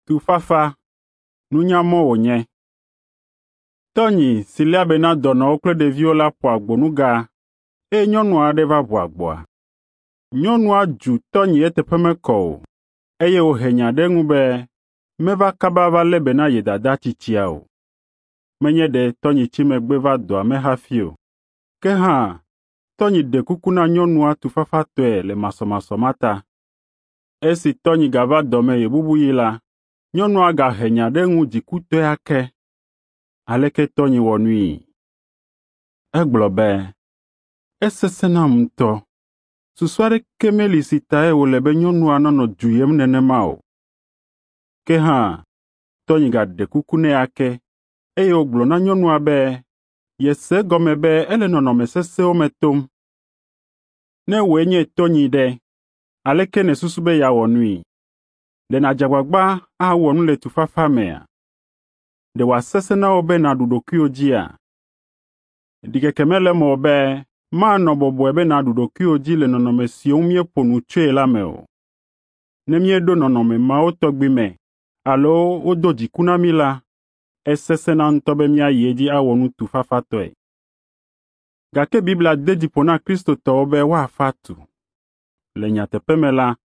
Tufafa, nunyamɔ wònye. Tɔnyi si léa be na dɔnɔwo kple ɖeviwo la ƒo agbonuga eye nyɔnu aɖe va ʋu agboa. Nyɔnua dzu tɔnyi eteƒe mekɔ o eye wòhe nya ɖe eŋu be meva kaba va lé be na ye dada tsitsia o. Menye ɖe tɔnyi tsi megbe va dɔa me hafi o. Ke hã tɔnyi ɖe kuku na nyɔnua tufafatɔe le masɔmasɔ ma ta. Esi tɔnyi gava dɔ me ɣebubuɣi la, nyɔnua gahe nya ɖe eŋu dzikutɔe ake. Aleke tɔnyi wɔ nui? Egblɔ be, “Esesẽ nam ŋutɔ. Susu aɖeke meli si tae wòle be nyɔnua nanɔ du yem nenema o.” Ke hã, tɔnyi gaɖe kuku nɛ ake eye wògblɔ na nyɔnua be yese egɔme be ele nɔnɔme sesẽwo me tom. Ne wòe nye tɔnyi ɖe, aleke nèsusu be yeawɔ nui? Ɖe nàdze agbagba awɔ nu le tufafa mea? Ɖe wòasesẽ na wò be nàɖu ɖokuiwò dzia? Ɖikeke mele eme o be manɔ bɔbɔe be nàɖu ɖokuiwò dzi le nɔnɔme siwo ŋu míeƒo nu tsoe la me o. Ne míeɖo nɔnɔme mawo tɔgbi me alo wodo dziku na mí la, esesẽna ŋutɔ be míayi edzi awɔ nu tufafatɔe. Gake Biblia de dzi ƒo na Kristotɔwo be woafa tu. Le nyateƒe me la,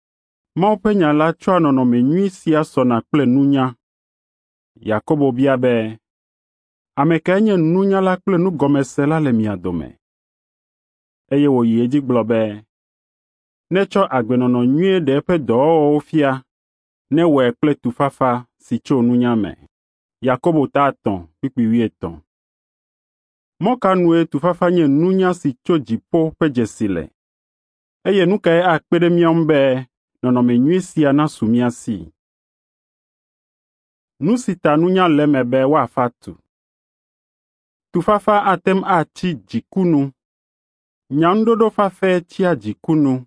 Mawu ƒe nya la tsɔa nɔnɔme nyui sia sɔna kple nunya. Yakobo bia be, “Ame kae nye nunyala kple nugɔmesela le mia dome?” Eye wòyi edzi gblɔ be, “Netsɔ agbenɔnɔ nyui ɖe eƒe dɔwɔwɔwo fia, newɔe kple tufafa si tso nunya me.” Yakobo ta 3:50. Mɔ ka nue tufafa nye nunya si tso dziƒo ƒe dzesi le? Eye nu kae akpe ɖe mía ŋu be nɔnɔme nyui sia nasu mía si? Nu si ta nunya le eme be woafa tu. Tufafa ate ŋu atsi dziku nu. Nyaŋuɖoɖo fafɛ tsia dziku nu,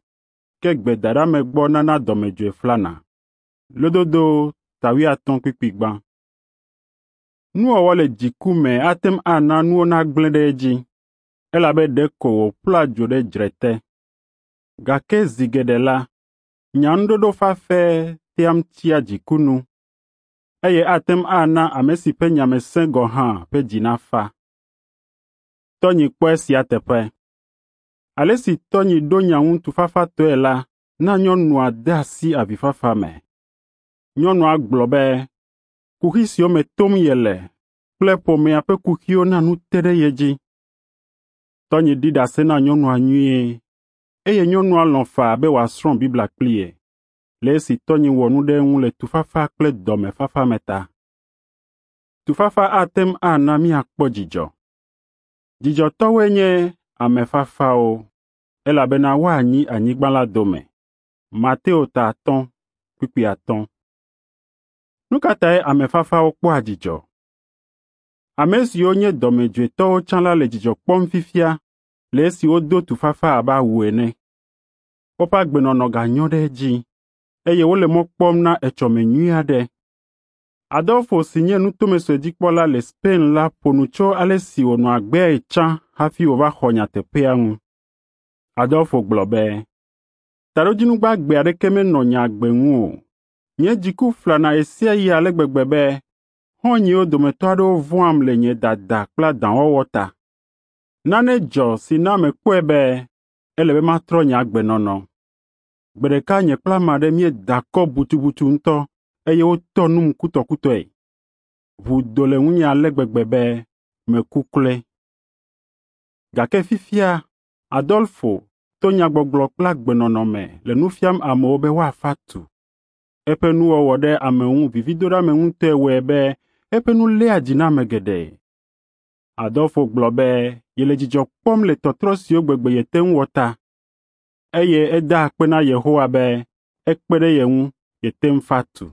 ke gbedaɖeamegbɔ nana dɔmedzoe flana. Lododo ta 50:1. Nuwɔwɔ le dziku me ate ŋu ana nuwo nagblẽ ɖe edzi, elabe ɖeko wòƒlɔa dzo ɖe dzre te. Gake zi geɖe la, nyaŋuɖoɖo fafɛ tea ŋu tsia dziku nu, eye ate ŋu ana ame si ƒe nya me sẽ gɔ̃ hã ƒe dzi nafa. Tɔnyi kpɔ esia teƒe. Ale si tɔnyi ɖo nya ŋu tufafatɔe la na nyɔnua de asi avifafa me. Nyɔnua gblɔ be kuxi siwo me tom yele kple ƒomea ƒe kuxiwo na nu te ɖe ye dzi. Tɔnyi ɖi ɖase na nyɔnua nyuie eye nyɔnua lɔ̃ faa be wòasrɔ̃ Biblia kpli ye le esi tɔnyi wɔ nu ɖe eŋu le tufafa kple dɔmefafa me ta. Tufafa ate ŋu ana míakpɔ dzidzɔ. Dzidzɔtɔwoe nye ame fafawo, elabena woanyi anyigba la dome. Mateo ta 5:5. Nu ka tae ame fafawo kpɔa dzidzɔ? Ame siwo nye dɔmedzoetɔwo tsã la le dzidzɔ kpɔm fifia le esi wodo tufafa abe awu ene. Woƒe agbenɔnɔ ganyo ɖe edzi eye wole mɔ kpɔm na etsɔme nyui aɖe. Adolfo si nye nutome sue dzikpɔla le Spain la ƒo nu tso ale si wònɔ agbeae tsã hafi wòva xɔ nyateƒea ŋu. Adolfo gblɔ be, “Taɖodzinu gbagbe aɖeke menɔ nye agbe ŋu o. Nye dziku flana ɣe sia ɣi ale gbegbe be xɔ̃nyewo dometɔ aɖewo vɔ̃am le nye dada kple adãwɔwɔ ta. Nane dzɔ si na mekpɔe be ele be matrɔ nye agbenɔnɔ. Gbe ɖeka nye kple ame aɖe míeda akɔ butubutu ŋutɔ eye wotɔ num kutɔkutɔe. Ʋu do le ŋunye ale gbegbe be meku kloe. Gake fifia Adolfo to nyagbɔgblɔ kple agbenɔnɔ me le nu fiam amewo be woafa tu. Eƒe nuwɔwɔ ɖe ame ŋu vividoɖeameŋutɔe wɔe be eƒe nu léa dzi na ame geɖe. Adolfo gblɔ be yele dzidzɔ kpɔm le tɔtrɔ siwo gbegbe yete ŋu wɔ ta eye eda akpe na Yehowa be ekpe ɖe ye ŋu yete ŋu fa tu.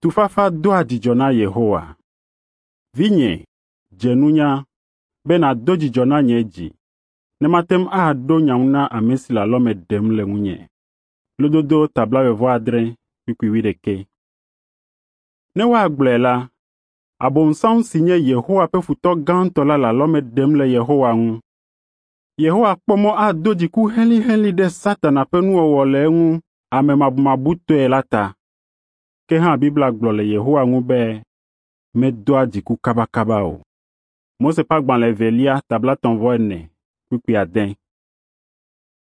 Tufafa doa dzidzɔ na Yehowa. Vinye, dze nunya be nàdo dzidzɔ na nye dzi, ne mate ŋu aɖo nya ŋu na ame si le alɔme ɖem le ŋunye. Lododo ta 86:11. Ne woagblɔe la, Abosam si nye Yehowa ƒe futɔ gãtɔ la le alɔme ɖem le Yehowa ŋu. Yehowa kpɔ mɔ ado dziku helĩhelĩ ɖe Satana ƒe nuwɔwɔ le eŋu amemabumabutɔe la ta. Ke hã Biblia gblɔ le Yehowa ŋu be medoa dziku kabakaba o. Mose ƒe agbalẽ evelia ta 34:6.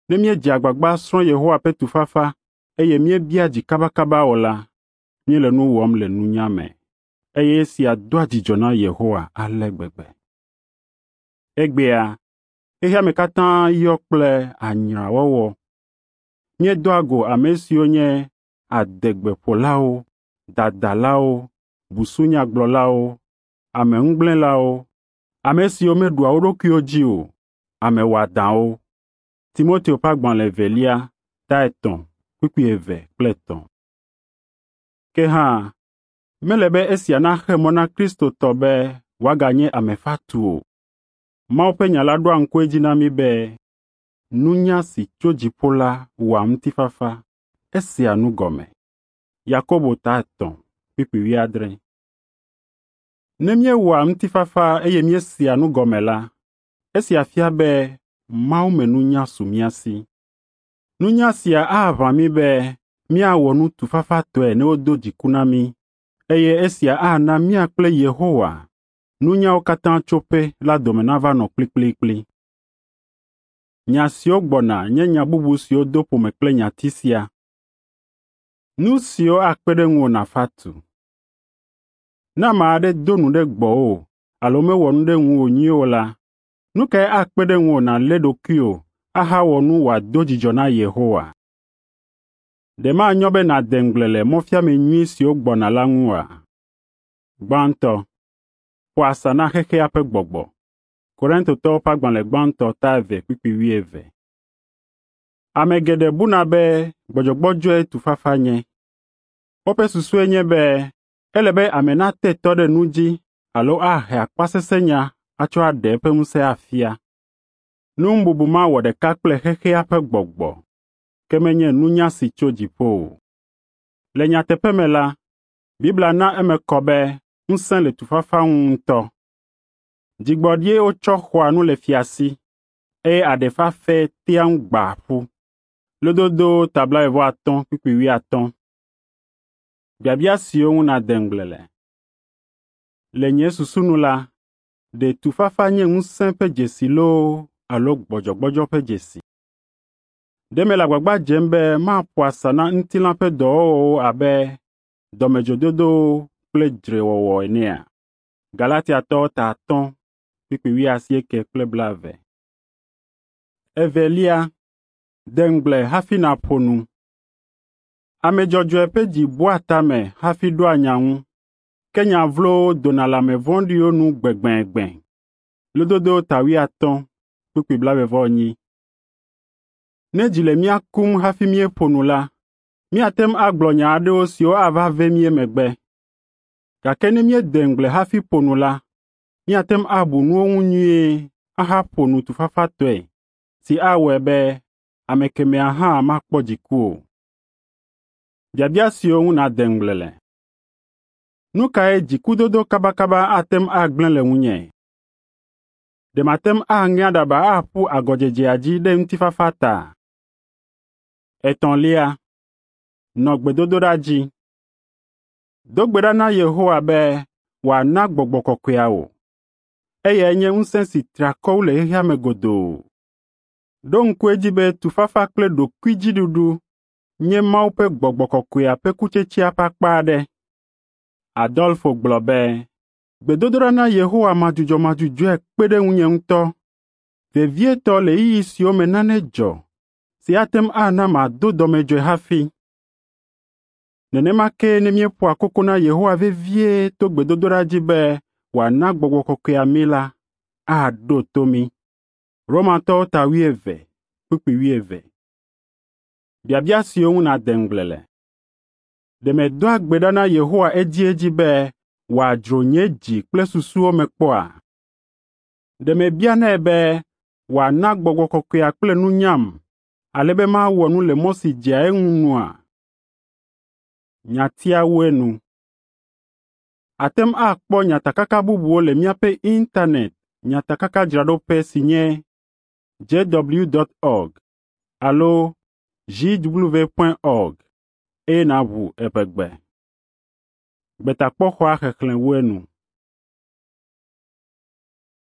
Ne míedze agbagba srɔ̃ Yehowa ƒe tufafa eye míebia dzi kabakaba o la, míele nu wɔm le nunya me, eye esia doa dzidzɔ na Yehowa ale gbegbe. Egbea, xexea me katã yɔ kple anyrawɔwɔ. Míedoa go ame siwo nye adegbeƒolawo, dadalawo, busunyagblɔlawo, ameŋugblẽlawo, ame siwo meɖua wo ɖokuiwo dzi o, ame wɔadãwo. Timoteo ƒe agbalẽ evelia ta 3:2 kple 3. Ke hã, mele be esia naxe mɔ na Kristotɔ be wòaganye ame fatu o. Mawu ƒe nya la ɖoa ŋku edzi na mí be nunya si tso dziƒo la wɔa ŋutifafa, esea nu gɔme. Yakobo ta 3:7. Ne míewɔa ŋutifafa eye míesea nu gɔme la, esia fia be mawumenunya su mía si. Nunya sia aʋã mí be míawɔ nu tufafatɔe ne wodo dziku na mí, eye esia ana mía kple Yehowa, nunyawo katã tsoƒe la dome nava nɔ kplikplikpli. Nya siwo gbɔna nye nya bubu siwo do ƒome kple nyati sia. Nu siwo akpe ɖe ŋuwò nàfa tu. Ne ame aɖe do nu ɖe gbɔwò alo mewɔ nu ɖe ŋuwò nyuie o la, nu kae akpe ɖe ŋuwò nàlé ɖokuiwò ahawɔ nu wòado dzidzɔ na Yehowa? Ɖe manyo be nàde ŋugble le mɔfiame nyui siwo gbɔna la ŋu oa? Gbãtɔ, ƒo asa na xexea ƒe gbɔgbɔ. Korintotɔwo ƒe agbalẽ gbãtɔ ta 2:20. Ame geɖe buna be gbɔdzɔgbɔdzɔe tufafa nye. Woƒe susue nye be ele be ame nate tɔ ɖe nu dzi alo ahe akpasesẽnya atsɔ aɖe eƒe ŋusẽ afia. Nuŋububu ma wɔ ɖeka kple xexea ƒe gbɔgbɔ, ke menye nunya si tso dziƒo o. Le nyateƒe me la, Biblia na eme kɔ be ŋusẽ le tufafa ŋu ŋutɔ. Dzigbɔɖie wotsɔ xɔa nu le fia si, eye aɖe fafɛ tea ŋu gbaa ƒu. Lododo ta 35:50. Biabia siwo ŋu nàde ŋugble le. Le nye susu nu la, ɖe tufafa nye ŋusẽ ƒe dzesi loo alo gbɔdzɔgbɔdzɔ ƒe dzesi? Ɖe mele agbagba dzem be maƒo asa na ŋutilã ƒe dɔwɔwɔwo abe dɔmedzoedodowo kple dzrewɔwɔ enea? Galatiatɔwo ta 5:80 kple 20. Evelia, de ŋugble hafi nàƒo nu. Ame dzɔdzɔe ƒe dzi bua tame hafi ɖoa nya ŋu, ke nya vlowo dona le ame vɔ̃ɖiwo nu gbẽgbẽgbẽ. Lododo ta 80:40. Ne dzi le mía kum hafi míeƒo nu la, míate ŋu agblɔ nya aɖewo siwo ava ve mí emegbe. Gake ne míede ŋugble hafi ƒo nu la, míate ŋu abu nuwo ŋu nyuie ahaƒo nu tufafatɔe si awɔe be ame kemɛa hã makpɔ dziku o. Biabia siwo ŋu nàde ŋugble le. Nu kae dzikudodo kabakaba ate ŋu agblẽ le ŋunye? Ɖe mate ŋu aŋe aɖaba aƒu agɔdzedzea dzi ɖe ŋutifafa ta? Etɔ̃lia, nɔ gbedodoɖa dzi. Do gbe ɖa na Yehowa be wòana gbɔgbɔ kɔkɔea wò. Eyae nye ŋusẽ si tri akɔ wu le xexea me godoo. Ɖo ŋku edzi be tufafa kple ɖokuidziɖuɖu nye Mawu ƒe gbɔgbɔ kɔkɔea ƒe kutsetsea ƒe akpa aɖe. Adolfo gblɔ be, gbedodoɖa na Yehowa madzudzɔmadzudzɔe kpe ɖe ŋunye ŋutɔ, vevietɔ le ɣeyiɣi siwo me nane dzɔ si ate ŋu ana mado dɔmedzoe hafi. Nenema ke ne míeƒoa koko na Yehowa vevie to gbedodoɖa dzi be wòana gbɔgbɔ kɔkɔea mí la, aɖo to mí. Romatɔwo ta 12:20. Biabia siwo ŋu nàde ŋugble le. Ɖe medoa gbe ɖa na Yehowa edziedzi be wòadzro nye dzi kple susuwo me kpɔa? Ɖe mebianɛ be wòana gbɔgbɔ kɔkɔea kple nunyam ale be mawɔ nu le mɔ si dzea eŋu nua? Nyatia wu enu. Àte ŋu akpɔ nyatakaka bubuwo le míaƒe intanɛt nyatakakadzraɖoƒe si nye jw.org alo jw.org eye nàʋu eʋegbe. Gbetakpɔxɔa xexlẽ wu enu.